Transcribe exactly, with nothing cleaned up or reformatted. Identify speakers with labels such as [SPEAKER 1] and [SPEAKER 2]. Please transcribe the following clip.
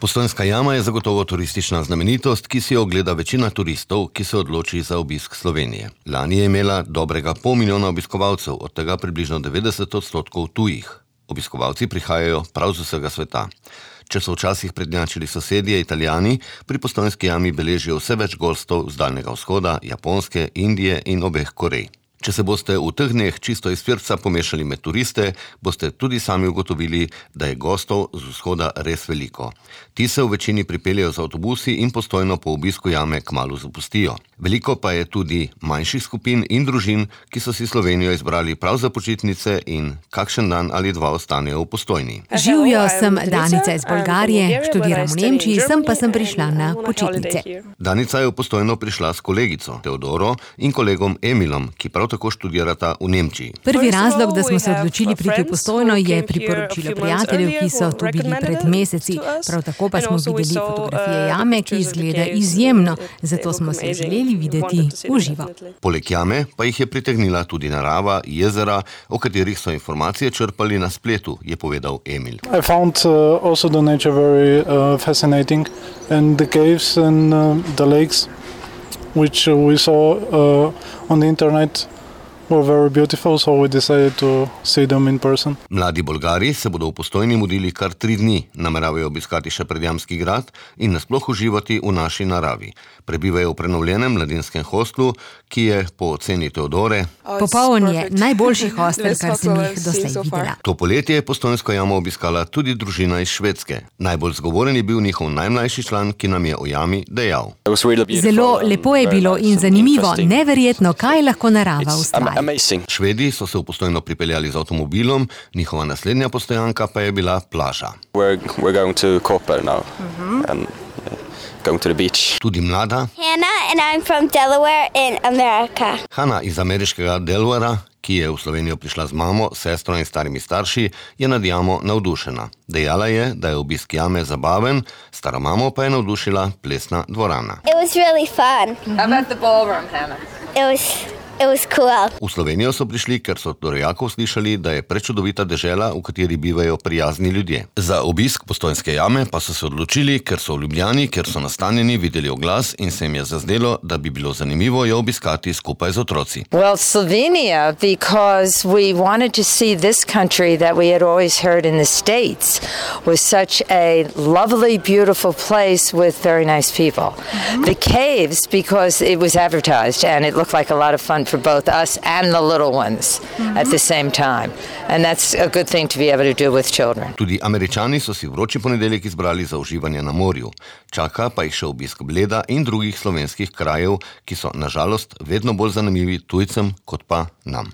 [SPEAKER 1] Postojnska jama je zagotovo turistična znamenitost, ki si jo ogleda večina turistov, ki se odloči za obisk Slovenije. Lani je imela dobrega pol milijona obiskovalcev, od tega približno devetdeset odstotkov tujih. Obiskovalci prihajajo prav z vsega sveta. Če so včasih prednjačili sosedje Italijani, pri Postojnski jami beležijo vse več gostov z Daljnega vzhoda, Japonske, Indije in obeh Korej. Če se boste v teh dneh čisto iz srca pomešali med turiste, boste tudi sami ugotovili, da je gostov z vzhoda res veliko. Ti se v večini pripeljejo z avtobusi in Postojno po obisku jame kmalu zapustijo. Veliko pa je tudi manjših skupin in družin, ki so si Slovenijo izbrali prav za počitnice in kakšen dan ali dva ostanejo v Postojni.
[SPEAKER 2] Živijo, sem Danica iz Bolgarije, študiram v Nemčiji, sem pa sem prišla na počitnice.
[SPEAKER 1] Danica je v Postojno prišla s kolegico Teodoro in kolegom Emilom, ki prav tako študirata v Nemčiji.
[SPEAKER 2] Prvi razlog, da smo se odločili priti v Postojno, je priporočilo prijateljev, ki so tu bili pred meseci. Prav tako pa smo videli fotografije jame, ki izgleda izjemno, zato smo se želeli videti v živo.
[SPEAKER 1] Poleg jame pa jih je pritegnila tudi narava, jezera, o katerih so informacije črpali na spletu, je povedal Emil.
[SPEAKER 3] I found uh, also the nature very uh, fascinating and the caves and uh, the lakes which we saw uh, on the internet were very beautiful, so we decided to see them in person.
[SPEAKER 1] Mladi Bolgari se bodo v Postojni mudili kar tri dni, nameravajo obiskati še Predjamski grad in nasploh uživati v naši naravi. Prebivajo v prenovljenem mladinskem hostlu, ki je po oceni Teodore
[SPEAKER 2] popoln je, najboljši hostel, kar sem jih doslej videla.
[SPEAKER 1] To poletje je Postojnsko jamo obiskala tudi družina iz Švedske. Najbolj zgovoren je bil njihov najmlajši član, ki nam je o jami dejal.
[SPEAKER 2] Zelo lepo je bilo in zanimivo, neverjetno, kaj lahko narava ustvari.
[SPEAKER 1] Švedi so se v Postojno pripeljali z avtomobilom, njihova naslednja postojanka pa je bila plaža.
[SPEAKER 4] We're, we're going to Koper now. Mm-hmm. and, yeah, going to the beach.
[SPEAKER 1] Tudi mlada
[SPEAKER 5] Hannah and I'm from Delaware in America.
[SPEAKER 1] Hana iz ameriškega Delawarea, ki je v Slovenijo prišla z mamo, sestro in starimi starši, je nad jamo navdušena. Dejala je, da je obisk jame zabaven, staro mamo pa je navdušila plesna dvorana.
[SPEAKER 5] It was really fun.
[SPEAKER 6] How about the ballroom, Hannah?
[SPEAKER 5] It was It was cool.
[SPEAKER 1] V Slovenijo so prišli, ker so od rojakov slišali, da je prečudovita dežela, v kateri bivajo prijazni ljudje. Za obisk Postojnske jame pa so se odločili, ker so v Ljubljani, ker so nastanjeni, videli oglas in se jim je zazdelo, da bi bilo zanimivo jo obiskati skupaj z otroci.
[SPEAKER 7] Well, Slovenia, because we wanted to see this country that we had always heard in the States was such a lovely, beautiful place with very nice people. Mm-hmm. The caves, because it was advertised and it looked like a lot of fun for both us and the little ones mm-hmm. at the same time. And that's a good thing to be able to do with children.
[SPEAKER 1] Tudi Američani so si vroči ponedeljek izbrali za uživanje na morju. Čaka pa jih še obisk Bleda in drugih slovenskih krajev, ki so na žalost vedno bolj zanimivi tujcem kot pa nam.